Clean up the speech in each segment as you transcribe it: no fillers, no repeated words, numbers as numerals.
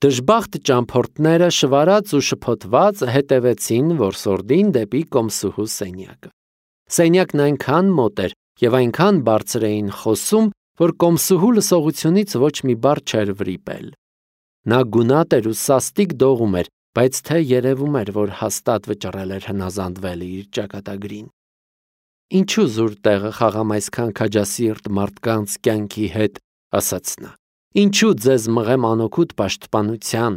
Դժբախտ ճամփորդները շվարած ու շփոթված հետևեցին որսորդին դեպի կոմսուհու սենյակը։ Սենյակն այնքան մոտ էր և այնքան բարձր էին խոսում, որ կոմսուհու լսողությունից ոչ մի բառ չէր վրիպել։ Նա գունատ էր ու սաստիկ դողում էր, բայց թե երևում էր, որ հաստատ վճռել էր հնազանդվել իր ճակատագրին։ Ինչու զուր տեղը խաղամ այսքան քաջասիրտ մարդկանց կյանքի հետ, ասաց նա։ Ինչու ձեզ մղեմ անօգուտ պաշտպանության,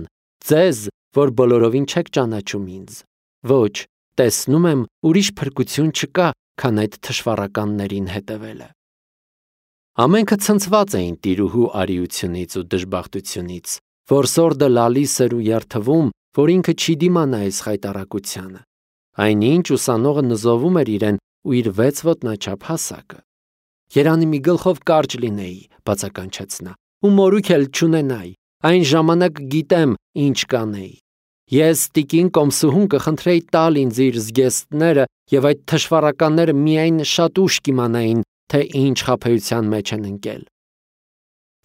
ձեզ, որ բոլորովին չեք ճանաչում ինձ։ Ոչ, տեսնում եմ, ուրիշ փրկություն չկա, քան այդ թշվառականներին հետևելը։ Ամենքը ցնցված էին տիրուհու արիությունից ու դժբախտությունից։ Որսորդը լալիս էր ու երթվում, որ ինքը չի դիմանա այս խայտառակությանը։ Այնինչ ուսանողը նզովում էր իրեն ու իր 6 ոտնաչափ հասակը։ Երանի մի գլխով կարճ լինեի, բացականչեց նա, ու մորուք էլ չունենայի, այն ժամանակ գիտեմ, ինչ կանեի։ Ես տիկին կոմսուհուն կխնդրեի տալ ինձ իր զգեստները, և այդ թշվառականները միայն շատ ուշ կիմանային, թե ինչ խաբեության մեջ են ընկել։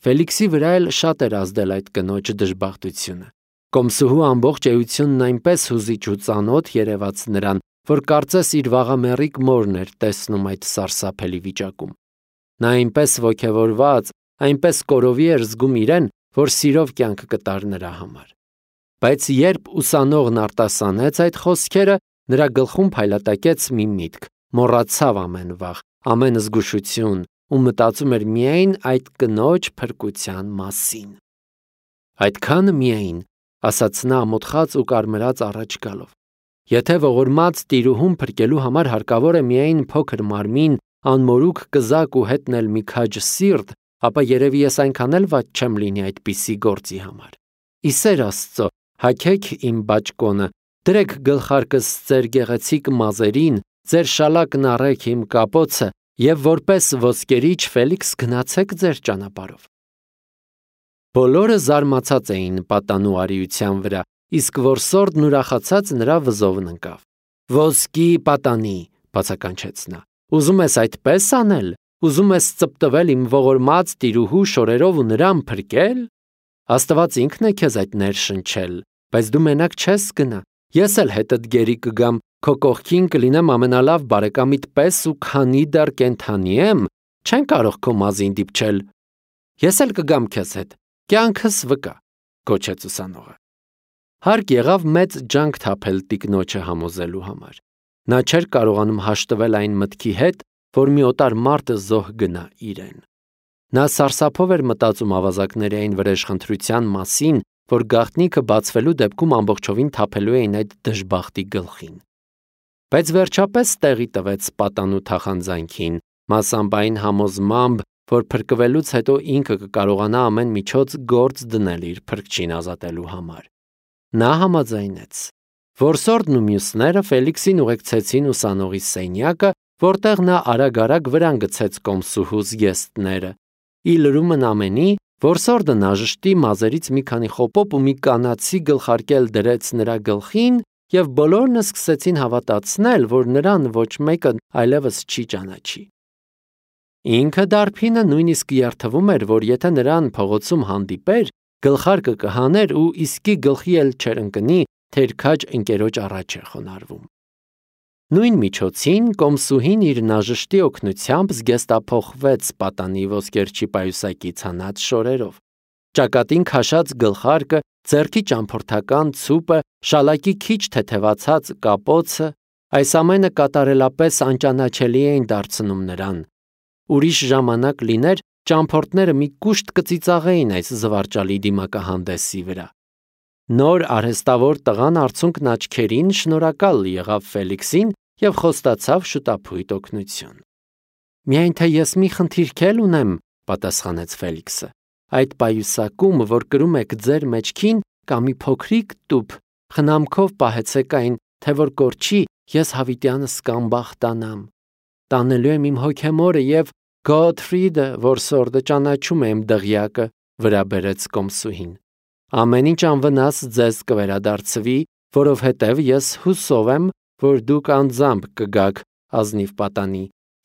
Ֆելիքսի վրա էլ շատ էր ազդել այդ կնոջ դժբախտությունը։ Կոմսուհու ամբողջ էությունն այնպես հուզիչ ու ծանոթ երևաց նրան, որ կարծես իր վաղամեռիկ մորն էր տեսնում այդ սարսափելի վիճակում։ Նա այնպես ոգևորված, այնպես կորովի էր զգում իրեն, որ սիրով կյանք կտար նրա համար։ Բայց երբ ուսանողն արտասանեց այդ խոսքերը, նրա գլխում փայլատակեց մի միտք, մոռացավ ամեն վախ, ամեն զգուշություն ու մտածում էր միայն այդ կնոջ փրկության մասին։ Այդքանը միայն, ասաց նա ամոթխած ու կարմրած առաջ գալով։ Եթե ողորմած տիրուհուն փրկելու համար հարկավոր է միայն փոքր մարմին, անմորուք կզակ ու հետնել մի քաջ սիրտ, ապա երևի ես այնքան էլ վատ չեմ լինի այդպիսի գործի համար։ Ի սեր Աստծո, հագեք իմ բաճկոնը, դրեք գլխարկս ձեր գեղեցիկ մազերին, ձեր շալակն առեք իմ կապոցը և որպես ոսկերիչ Ֆելիքս գնացեք ձեր ճանապարհով։ Բոլորը զարմացած էին պատանու արիության վրա, իսկ որսորդն ուրախացած նրա վզովն ընկավ։ Ոսկի պատանի, բացականչեց նա, ուզում ես այդպես անել, ուզում ես ծպտվել իմ ողորմած տիրուհու շորերով ու նրան փրկել։ Աստված ինքն է քեզ այդ ներշնչել, բայց դու մենակ չես գնա, ես էլ հետդ գերի կգամ, քո կողքին կլինեմ ամենալավ բարեկամիդ պես ու քանի դեռ կենդանի եմ, չեն կարող քո մազին դիպչել։ Ես էլ կգամ քեզ հետ, կյանքս վկա, գոչեց ուսանողը։ Հարկ եղավ մեծ ջանք թափել տիկնոջը համոզելու համար։ Նա չէր կարողանում հաշտվել այն մտքի հետ, որ մի օտար մարդ զոհ գնա իրեն։ Նա սարսափով էր մտածում ավազակների այն վրեժխնդրության մասին, որ գաղտնիքը բացվելու դեպքում ամբողջովին թափելու էին այդ դժբախտի գլխին։ Բայց վերջապես տեղի տվեց պատանու թախանձանքին, մասամբ այն համոզմամբ, որ փրկվելուց հետո ինքը կկարողանա ամեն միջոց գործ դնել իր փրկչին ազատելու համար։ Նա համաձայնեց։ Որսորդն ու մյուսները Ֆելիքսին ուղեկցեցին ուսանողի սենյակը, որտեղ նա արագ-արագ վրան գցեց կոմսուհու զգեստները։ Ի լրումն ամենի, որսորդը նաժշտի մազերից մի քանի խոպոպ ու մի կանացի գլխարկել դրեց նրա գլխին, և բոլորն սկսեցին հավատացնել, որ նրան ոչ մեկը այլևս չի ճանաչի։ Ինքը դարբինը նույնիսկ երդվում էր, որ եթե նրան փողոցում հանդիպեր, գլխարկը կհաներ ու իսկի գլխի էլ չէր ընկնի, թե իր քաջ ընկերոջ առաջ է խոնարհվում։ Նույն միջոցին կոմսուհին իր նաժշտի օգնությամբ զգեստափոխվեց պատանի ոսկերչի պայուսակից հանած շորերով։ Ճակատին քաշած գլխարկը, ձեռքի ճամփորդական ցուպը, շալակի քիչ թեթևացած կապոցը, այս ամենը կատարելապես անճանաչելի էին դարձնում նրան։ Ուրիշ ժամանակ լիներ, ճամփորդները մի կուշտ կծիծաղեին այս զվարճալի դիմակահանդեսի վրա։ Նոր արհեստավոր տղան արցունքն աչքերին շնորհակալ եղավ Ֆելիքսին և խոստացավ շուտափույթ օգնություն։ Միայն թե ես մի խնդիր էլ ունեմ, պատասխանեց Ֆելիքսը։ Այդ պայուսակում, որ կրում եք ձեր մեջքին, կա մի փոքրիկ տուփ, խնամքով պահեցեք այն, թե որ կորչի, ես հավիտյանս կանբախտանամ։ Տանելու եմ իմ հոգեմորը և Գոթֆրիդը, որսորդը ճանաչում է իմ դղյակը, վրա բերեց կոմսուհին։ Ամեն ինչ անվնաս ձեզ կվերադարձվի, որովհետև ես հուսով եմ, որ դուք անձամբ կգաք ազնիվ պատանի,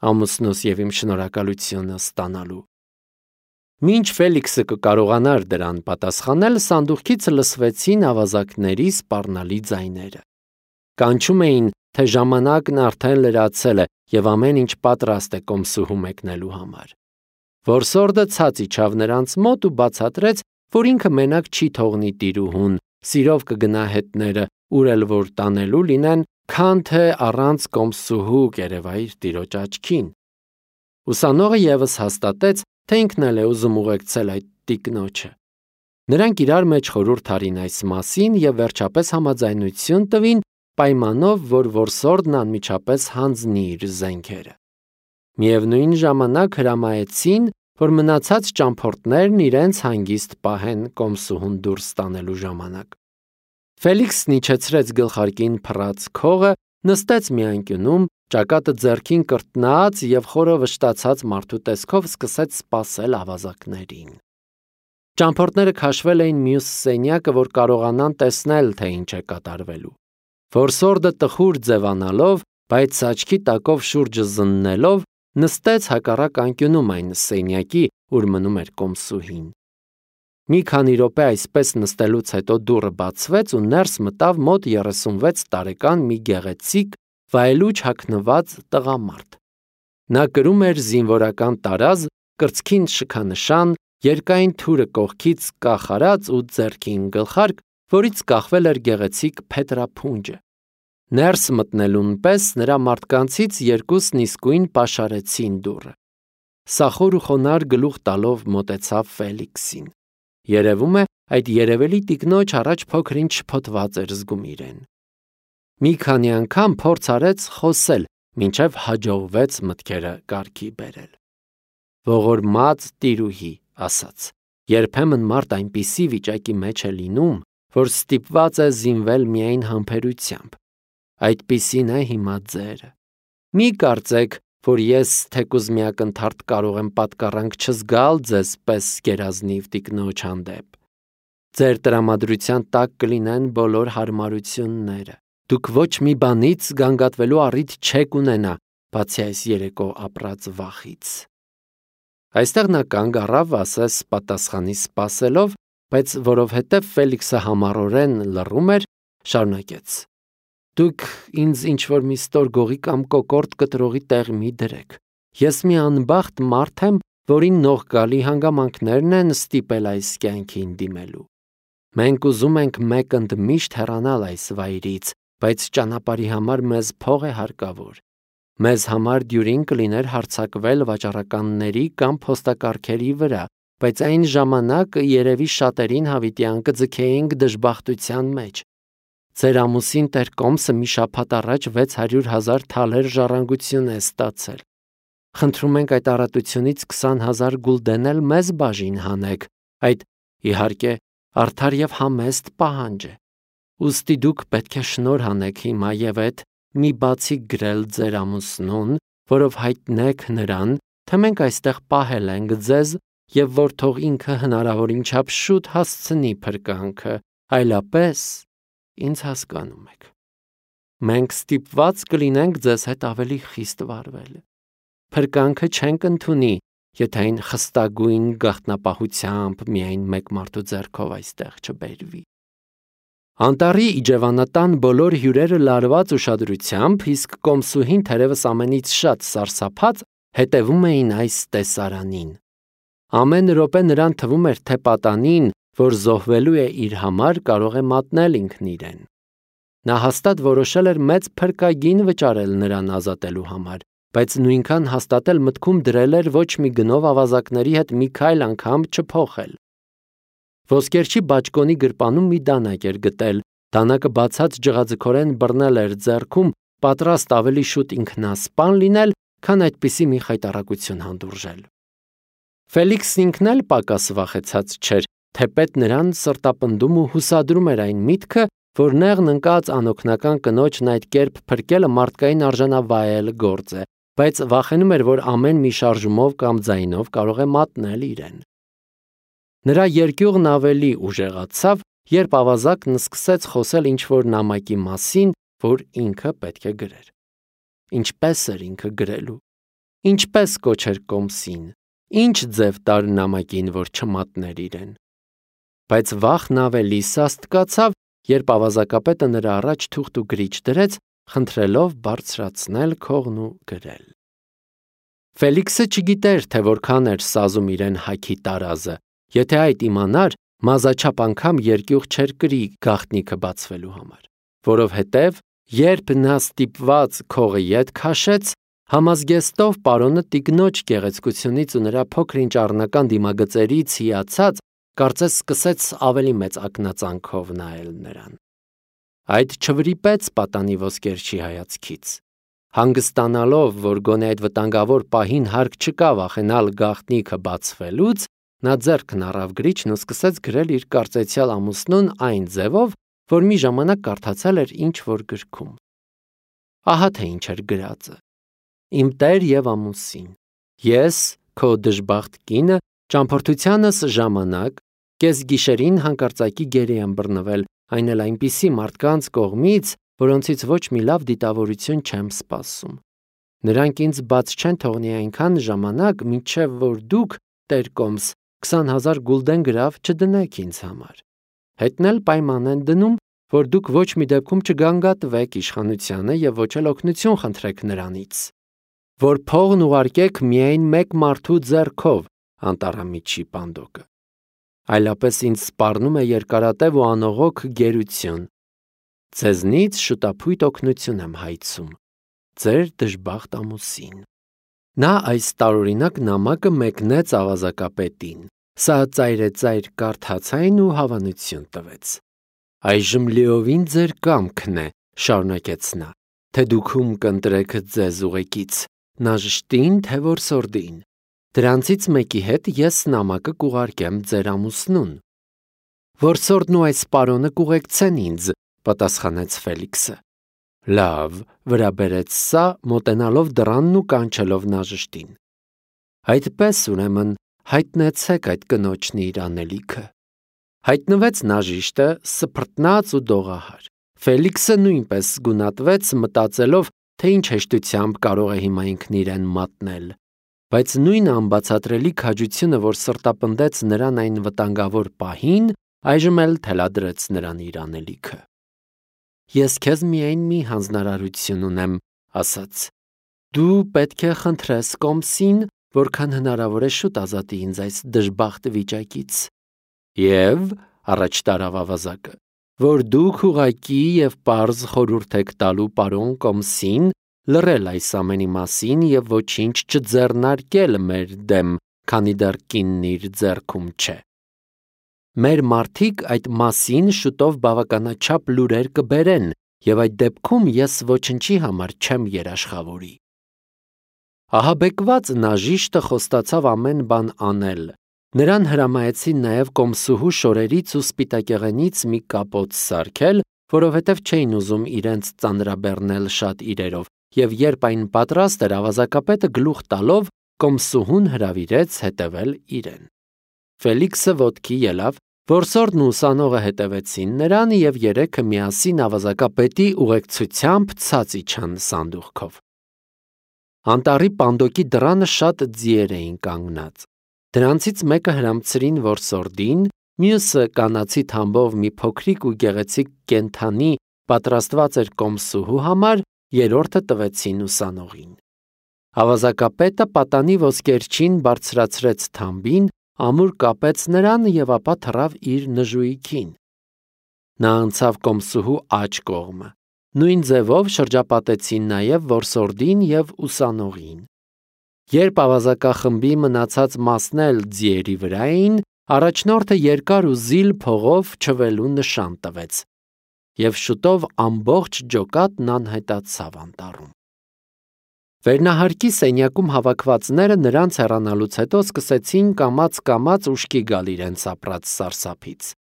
ամուսնուս և իմ շնորհակալությունը ստանալու։ Մինչ Ֆելիքսը կկարողանար դրան պատասխանել, սանդուղքից լսվեցին ավազակների սպառնալի ձայները։ Կանչում էին, թե ժամանակն արդեն լրացել է և ամեն ինչ պատրաստ է կոմսուհու մեկնելու համար։ Որսորդը ցած իջավ նրանց մոտ ու բացատրեց, որ ինքը մենակ չի թողնի տիրուհուն, սիրով կգնա հետները, ուր էլ որ տանելու լինեն, քան թե առանց կոմսուհու կերևայր տիրոջ աչքին։ Ուսանողը ևս հաստատեց, թե ինքն էլ է ուզում ուղեկցել այդ տիկնոջը։ Նրանք իրար մեջ խորհուրդ արին այս մասին և վերջապես համաձայնություն տվին, պայմանով, որ որսորդն անմիջապես հանձնի իր զենքերը։ Միևնույն ժամանակ հրամայեցին, որ մնացած ճամփորդներն իրենց հանգիստ պահեն կոմսուհուն դուրս տանելու ժամանակ։ Ֆելիքսն իջեցրեց գլխարկին փռած քողը, նստեց մի անկյունում, ճակատը ձեռքին կրտնած և խորը վշտացած մարդու տեսքով սկսեց սպասել ավազակներին։ Ճամփորդները քաշվել էին մյուս սենյակը, որ կարողանան տեսնել, թե ինչ է կատարվելու։ Որսորդը տխուր ձևանալով, բայց աչքի տակով շուրջը զննելով, նստեց հակառակ անկյունում այն սենյակի, ուր մնում էր կոմսուհին։ Մի քանի րոպե այսպես նստելուց հետո դուռը բացվեց ու ներս մտավ մոտ 36 տարեկան մի գեղեցիկ, վայելուչ հագնված տղամարդ։ Նա կրում էր զինվորական տարազ, կրծքին շքանշան, երկայն թուրը կողքից կախարած ու ձեռքին գլխարկ, որից կախվել էր գեղեցիկ փետրափունջը։ Ներս մտնելուն պես նրա մարդկանցից երկուսն իսկույն պաշարեցին դուռը։ Սախոր ու խոնարհ գլուխ տալով մոտեցավ Ֆելիքսին։ Երևում է, այդ երևելի տիկնոջ առաջ փոքր-ինչ շփոթված էր զգում իրեն։ Մի քանի անգամ փորձ արեց խոսել, մինչև հաջողվեց մտքերը կարգի բերել։ Ողորմած տիրուհի, ասաց, երբեմն մարդ այնպիսի վիճակի մեջ է լինում, որ ստիպված է զինվել միայն համբերությամբ։ Այդպիսին է հիմա ձերը։ Մի կարծեք, որ ես թեկուզ մի ակնթարթ կարող եմ պատկառանք չզգալ ձեզ պես գերազնիվ տիկնոջ հանդեպ։ Ձեր տրամադրության տակ կլինեն բոլոր հարմարությունները։ Դուք ոչ մի բանից գանգատվելու առիթ չեք ունենա, բացի այս երեկո ապրած վախից։ Այստեղ նա կանգ առավ, ասես պատասխանի սպասելով, բայց որովհետև Ֆելիքսը համառորեն լռում էր, շարունակեց. Դուք ինձ ինչ-որ մի ստոր գողի կամ կոկորտ կտրողի տեղ մի դրեք։ Ես մի անբախտ մարդ եմ, որին նողկալի հանգամանքներն են ստիպել այս կյանքին դիմելու։ Մենք ուզում ենք մեկ ընդմիշտ հեռանալ այս վայրից, բայց ճանապարհի համար մեզ փող է հարկավոր։ Մեզ համար դյուրին կլիներ հարձակվել վաճառականների կամ փոստակարգերի վրա, բայց այն ժամանակ երևի շատերին հավիտյան կձգեինք դժբախտության մեջ։ Ձեր ամուսին տեր Կոմսը մի շաբաթ առաջ 600,000 թալեր ժառանգություն է ստացել։ Խնդրում ենք այդ առատությունից 20,000 գուլդեն էլ մեզ բաժին հանեք։ Այդ, իհարկե, արդար և համեստ պահանջ է։ Ուստի դուք պետք է շնորհ անեք հիմա և այդ մի բացիկ գրել ձեր ամուսնուն, որով հայտնեք նրան, թե մենք այստեղ պահել ենք ձեզ և որ թող ինքը հնարավորին չափ շուտ հասցնի փրկանքը, այլապես ինձ հասկանում եք։ Մենք ստիպված կլինենք ձեզ հետ ավելի խիստ վարվել։ Փրկանքը չենք ընդունի, եթե այն խստագույն գաղտնապահությամբ միայն մեկ մարդու ձեռքով այստեղ չբերվի։ Անտառի իջևանատան բոլոր հյուրերը լարված ուշադրությամբ, իսկ կոմսուհին թերևս ամենից շատ սարսափած, հետևում էին այս տեսարանին։ Ամեն րոպե նրան թվում էր, թե պատանին, որ զոհվելու է իր համար, կարող է մատնել ինքն իրեն։ Նա հաստատ որոշել էր մեծ փրկագին վճարել նրան ազատելու համար, բայց նույնքան հաստատել մտքում դրել էր ոչ մի գնով ավազակների հետ մի քայլ անգամ չփոխել։ Ոսկերչի բաճկոնի գրպանում մի դանակ էր գտել, դանակը բացած ջղաձգորեն բռնել էր ձեռքում, պատրաստ ավելի շուտ ինքնասպան լինել, քան այդպիսի մի խայտառակություն հանդուրժել։ Ֆելիքսն ինքն էլ պակաս վախեցած չէր, թեպետ նրան սրտապնդում ու հուսադրում էր այն միտքը, որ նեղն ընկած անօգնական կնոջն այդ կերպ փրկելը մարդկային արժանավայել գործ է, բայց վախենում էր, որ ամեն մի շարժումով կամ ձայնով կարող է մատնել իրեն։ Նրա երկյուղն ավելի ուժեղացավ, երբ ավազակն սկսեց խոսել ինչ-որ նամակի մասին, որ ինքը պետք է գրեր։ Ինչպես էր ինքը գրելու։ Ինչպես կոչեր Կոմսին։ Ինչ ձև տար նամակին, որ չմատներ իրեն։ Բայց վախն ավելի սաստկացավ, երբ ավազակապետը նրա առաջ թուղթ ու գրիչ դրեց, խնդրելով բարձրացնել քողն ու գրել։ Ֆելիքսը չգիտեր, թե որքան էր սազում իրեն հագի տարազը, եթե այդ իմանար, մազաչափ անգամ երկյուղ չէր կրի գաղտնիքը բացվելու համար, որովհետև երբ նա ստիպված քողը ետ քաշեց, համազգեստով պարոնը տիկնոջ գեղեցկությունից ու նրա փոքր-ինչ առնական դիմագծերից հիացած, կարծես սկսեց ավելի մեծ ակնածանքով նայել նրան։ Այդ չվրիպեց պատանի ոսկերչի հայացքից։ Հանգստանալով, որ գոնե այդ վտանգավոր պահին հարկ չկա վախենալ գաղտնիքը բացվելուց, նա ձեռքն առավ գրիչն ու սկսեց գրել իր կարծեցյալ ամուսնուն այն ձևով, որ մի ժամանակ կարդացել էր ինչ-որ գրքում։ Ահա թե ինչ էր գրածը. Իմ տեր և ամուսին, ես, քո դժբախտ կինը, ճամփորդությանս ժամանակ, կեսգիշերին հանկարծակի գերի եմ բռնվել, այն էլ այնպիսի մարդկանց կողմից, որոնցից ոչ մի լավ դիտավորություն չեմ սպասում։ Նրանք ինձ բաց չեն թողնի այնքան ժամանակ, մինչև որ դուք, տեր կոմս, 20,000 գուլդեն գրավ չդնեք ինձ համար։ Հետն էլ պայման են դնում, որ դուք ոչ մի դեպքում չգանգատվեք իշխանությանը և ոչ էլ օգնություն խնդրեք նրանից, որ փողն ուղարկեք միայն մեկ մարդու ձեռքով, անտառամիջի պանդոկը։ Այլապես ինձ սպառնում է երկարատև ու անողոք գերություն։ Ձեզնից շուտափույթ օգնություն եմ հայցում, ձեր դժբախտ ամուսին։ Նա այս տարօրինակ նամակը մեկնեց ավազակապետին, սա ծայրեծայր կարդաց այն ու հավանություն տվեց։ Այժմ լիովին ձեր կամքն է, շարունակեց նա, թե դուք ում կընտրեք ձեզ ուղեկից, նաժշտին, թե որսորդին։ Դրանցից մեկի հետ ես նամակը կուղարկեմ ձեր ամուսնուն։ Որսորդն ու այս պարոնը կուղեկցեն ինձ, պատասխանեց Ֆելիքսը։ Լավ, վրա բերեց սա, մոտենալով դռանն ու կանչելով նաժշտին։ Այդպես ուրեմն հայտնեցեք այդ կնոջն իր անելիքը։ Հայտնվեց նաժիշտը, սփռտնած ու դողահար։ Ֆելիքսը նույնպես զգունատվեց, մտածելով, թե ինչ հեշտությամբ կարող է հիմա ինքն իրեն մատնել։ Բայց նույն անբացատրելի քաջությունը, որ սրտապնդեց նրան այն վտանգավոր պահին, այժմ էլ թելադրեց նրան իր անելիքը։ Ես քեզ միայն մի հանձնարարություն ունեմ, ասաց։ Դու պետք է խնդրես կոմսին, որքան հնարավոր է շուտ ազատի ինձ այս դժբախտ վիճակից։ Եվ, առաջ տարավ ավազակը, որ դուք ուղղակի և պարզ խորհուրդ եք տալու պարոն կոմսին լռել այս ամենի մասին և ոչինչ չձեռնարկել մեր դեմ, քանի դեռ կինն իր ձեռքում չէ։ Մեր մարդիկ այդ մասին շուտով բավականաչափ լուրեր կբերեն, և այդ դեպքում ես ոչնչի համար չեմ երաշխավորի։ Ահաբեկված նաժիշտը խոստացավ ամեն բան անել։ Նրան հրամայեցին նաև կոմսուհու շորերից ու սպիտակեղենից մի կապոց սարքել, որովհետև չէին ուզում իրենց ծանրաբեռնել շատ իրերով, և երբ այն պատրաստ էր, ավազակապետը գլուխ տալով կոմսուհուն հրավիրեց հետևել իրեն։ Ֆելիքսը ոտքի ելավ, որսորդն ու ուսանողը հետևեցին նրան և երեքը միասին ավազակապետի ուղեկցությամբ ցած իջան սանդուղքով։ Անտառի պանդոկի դռանը շատ ձիեր էին կանգնած։ Դրանցից մեկը հրամցրին որսորդին, մյուսը կանացի թամբով մի փոքրիկ ու գեղեցիկ կենդանի պատրաստված էր կոմսուհու համար, երրորդը տվեցին ուսանողին։ Ավազակապետը պատանի ոսկերչին բարձրացրեց թամբին, ամուր կապեց նրան և ապա թռավ իր նժույգին։ Նա անցավ կոմսուհու աջ կողմը։ Նույն ձևով շրջապատեցին նաև որսորդին և ուսանողին։ Երբ ավազակախմբի մնացած մասն էլ ձիերի վրա էին, առաջնորդը երկար ու զիլ փողով չվելու նշան տվեց, և շուտով ամբողջ ջոկատն անհետացավ անտառում։ Վերնահարկի սենյակում հավաքվածները նրանց հեռանալուց հետո սկսեցին կամաց-կամաց ուշքի գալ իրենց ապրած սարսափից։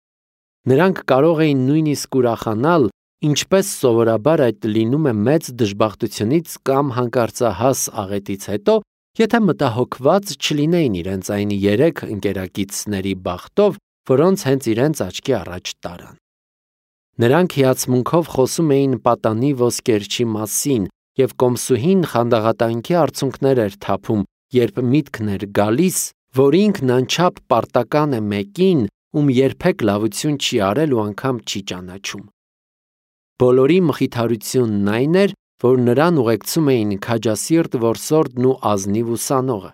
Նրանք կարող էին նույնիսկ ուրախանալ, ինչպես սովորաբար այդ լինում է մեծ դժբախտությունից կամ հանկարծահաս աղետից հետո, եթե մտահոգված չլինեին իրենց այն 3 ընկերակիցների բախտով, որոնց հենց իրենց աչքի առաջ տարան։ Նրանք հիացմունքով խոսում էին պատանի ոսկերչի մասին, և կոմսուհին խանդաղատանքի արցունքներ էր թափում, երբ միտքն էր գալիս, որ ինքն անչափ պարտական է մեկին, ում երբեք լավություն չի արել ու անգամ չի ճանաչում։ Բոլորի մխիթարությունն այն էր, որ նրան ուղեկցում էին քաջասիրտ որսորդն ու ազնիվ ուսանողը։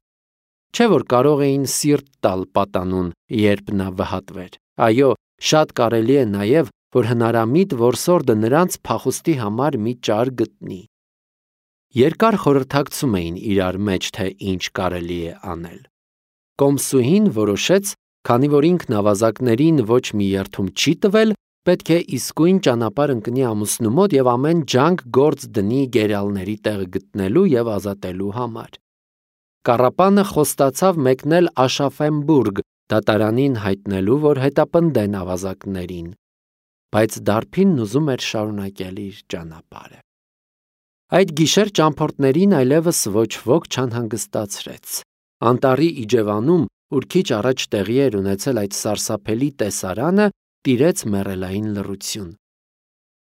Չէ՞ որ կարող էին սիրտ տալ պատանուն, երբ նա վհատվեր։ Այո, շատ կարելի է նաև, որ հնարամիտ որսորդը նրանց փախուստի համար մի ճար գտնի։ Երկար խորհրդակցում էին իրար մեջ, թե ինչ կարելի է անել։ Կոմսուհին որոշեց, քանի որ ինքն ավազակներին ոչ մի երթում չի տվել, պետք է իսկույն ճանապարհ ընկնի ամուսնու մոտ և ամեն ջանք գործ դնի գերալների տեղ գտնելու և ազատելու համար։ Կառապանը խոստացավ մեկնել Աշաֆենբուրգ, դատարանին հայտնելու, որ հետապնդեն ավազակներին, բայց դարբինն ուզում էր շարունակել իր ճանապարհը։ Այդ գիշեր ճամփորդներին այլևս ոչ ոք չանհանգստացրեց։ Անտառի իջևանում, ուր քիչ առաջ տեղի էր ունեցել այդ սարսափելի տեսարանը, տիրեց մեռելային լռություն։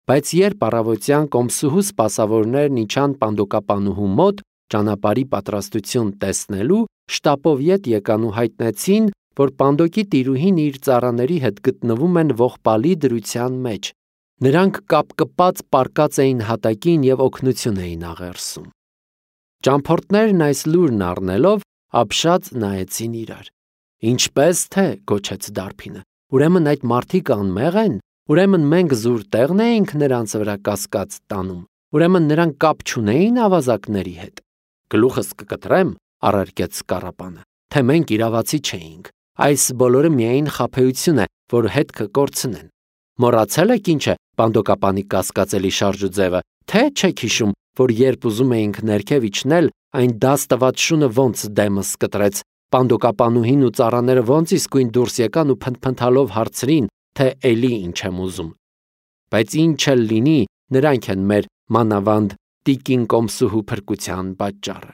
Բայց երբ առավոտյան կոմսուհու սպասավորներն իջան պանդոկապանուհու մոտ ճանապարհի պատրաստություն տեսնելու, շտապով ետ եկան ու հայտնեցին, որ պանդոկի տիրուհին իր ծառաների հետ գտնվում են ողբալի դրության մեջ։ Նրանք կապկպած պառկած էին հատակին և օգնություն էին աղերսում։ Ճամփորդներն այս լուրն առնելով, ապշած նայեցին իրար։ Ինչպես թե, գոչեց դարբինը, ուրեմն այդ մարդիկ անմեղ են, ուրեմն մենք զուր տեղն էինք նրանց վրա կասկած տանում, ուրեմն նրանք կապ չունեին ավազակների հետ։ Գլուխս կկտրեմ, առարկեց Կառապանը, թե մենք իրավացի չէինք։ Այս բոլորը միայն խաբեություն է, որ հետքը կորցնեն։ Մոռացել եք ինչ է պանդոկապանի կասկածելի շարժուձևը, թե չեք հիշում, որ երբ ուզում էինք ներքև իջնել, այն դաս տված շունը ոնց դեմս կտրեց, պանդոկապանուհին ու ծառաները ոնց իսկույն դուրս եկան ու փնթփնթալով հարցրին, թե էլի ինչ եմ ուզում։ Բայց ինչ էլ լինի, նրանք են մեր մանավանդ տիկին կոմսուհու փրկության պատճառը։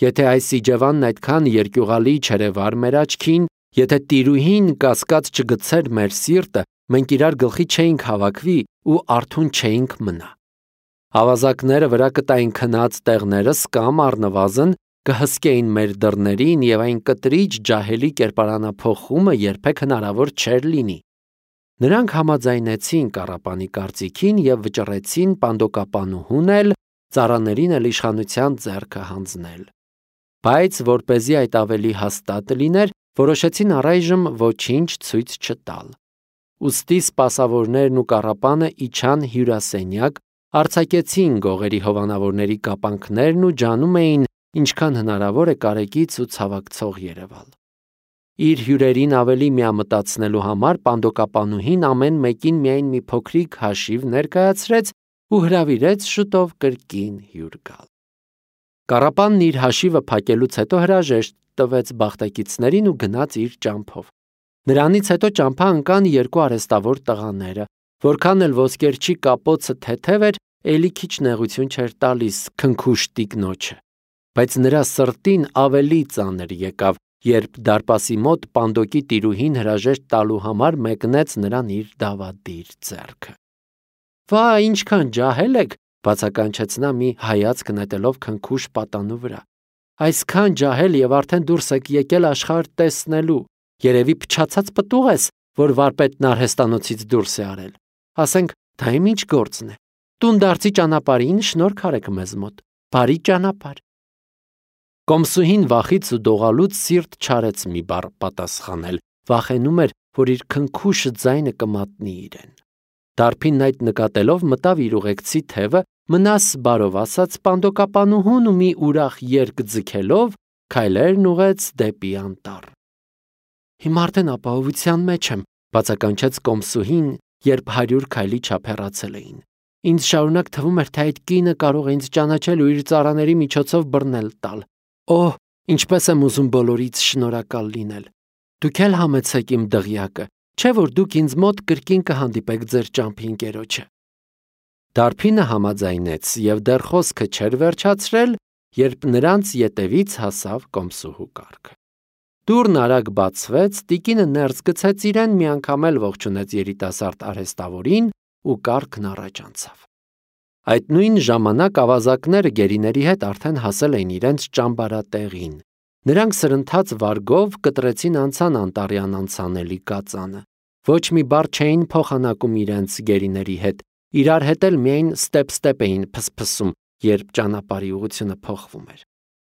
Եթե այս իջևանն այդքան երկյուղալի չերևար մեր աչքին, եթե տիրուհին կասկած չգցեր մեր սիրտը, մենք իրար գլխի չէինք հավաքվի ու արթուն չէինք մնա։ Ավազակները վրա կտային քնած տեղներս կամ առնվազն կհսկեին մեր դռներին և այն կտրիչ ջահելի կերպարանափոխումը երբեք հնարավոր չէր լինի։ Նրանք համաձայնեցին Կառապանի կարծիքին և վճռեցին պանդոկապանուհուն էլ, ծառաներին էլ իշխանության ձեռքը հանձնել։ Բայց որպեսզի այդ ավելի հաստատ լիներ, որոշեցին առայժմ ոչինչ ցույց չտալ։ Ուստի սպասավորներն ու Կառապանը իջան հյուրասենյակ, արձակեցին գողերի հովանավորների կապանքներն ու ջանում էին, ինչքան հնարավոր է կարեկից ու ցավակցող երևալ։ Իր հյուրերին ավելի միամտացնելու համար պանդոկապանուհին ամեն մեկին միայն մի փոքրիկ հաշիվ ներկայացրեց ու հրավիրեց շուտով կրկին հյուր գալ։ Կառապանն իր հաշիվը փակելուց հետո հրաժեշտ տվեց բախտակիցներին ու գնաց իր ճամփով։ Նրանից հետո ճամփա ընկան երկու արհեստավոր տղաները, որքան էլ ոսկերչի կապոցը թեթև էր, էլի քիչ նեղություն չէր տալիս քնքուշ տիկնոջը, բայց նրա սրտին ավելի ծանր եկավ, երբ դարպասի մոտ պանդոկի տիրուհին հրաժեշտ տալու համար մեկնեց նրան իր դավադիր ձեռքը։ «Վա, ինչքան ջահել եք», բացականչեց նա մի հայացք նետելով քնքուշ պատանու վրա։ «Այսքան ջահել և արդեն դուրս եք եկել աշխարհ տեսնելու։ Երևի փչացած պտուղ ես, որ վարպետն արհեստանոցից դուրս է արել։ Ասենք, դա իմ ինչ գործն է։ Տունդարձի ճանապարհին շնորհք արեք մեզ մոտ։ Բարի ճանապարհ»։ Կոմսուհին վախից ու դողալուց սիրտ չարեց մի բառ պատասխանել, վախենում էր, որ իր քնքուշ ձայնը կմատնի իրեն։ Դարբինն այդ նկատելով մտավ իր ուղեկցի թևը, մնաս բարով ասաց պանդոկապանուհուն ու մի ուրախ երգ ձգելով քայլերն ուղեց դեպի անտառ։ «Հիմա արդեն ապահովության մեջ եմ», բացականչեց կոմսուհին, երբ 100 քայլի չափ հեռացել էին։ «Ինձ շարունակ թվում էր, թե այդ կինը կարող է ինձ ճանաչել ու իր ծառաների միջոցով բռնել տալ։ Օհ, ինչպես եմ ուզում բոլորից շնորհակալ լինել։ Դուք էլ համեցեք իմ դղյակը, չէ՞ որ դուք ինձ մոտ կրկին կհանդիպեք ձեր ճամփի ընկերոջը»։ Դարբինը համաձայնեց և դեռ խոսքը չէր վերջացրել, երբ նրանց ետևից հասավ կոմսուհու կառքը։ Դուռն արագ բացվեց, տիկինը ներս գցեց իրեն, միանգամ էլ ողջունեց երիտասարդ արհեստավորին ու կառքն առաջ անցավ։ Այդ նույն ժամանակ ավազակները գերիների հետ արդեն հասել էին իրենց ճամբարատեղին։ Նրանք սրընթաց վարգով կտրեցին անցան անտառյան անցանելի կածանը։ Ոչ մի բառ չէին փոխանակում իրենց գերիների հետ, իրար հետ էլ միայն ստեպ-ստեպ էին փսփսում, երբ ճանապարհի ուղղությունը փոխվում էր։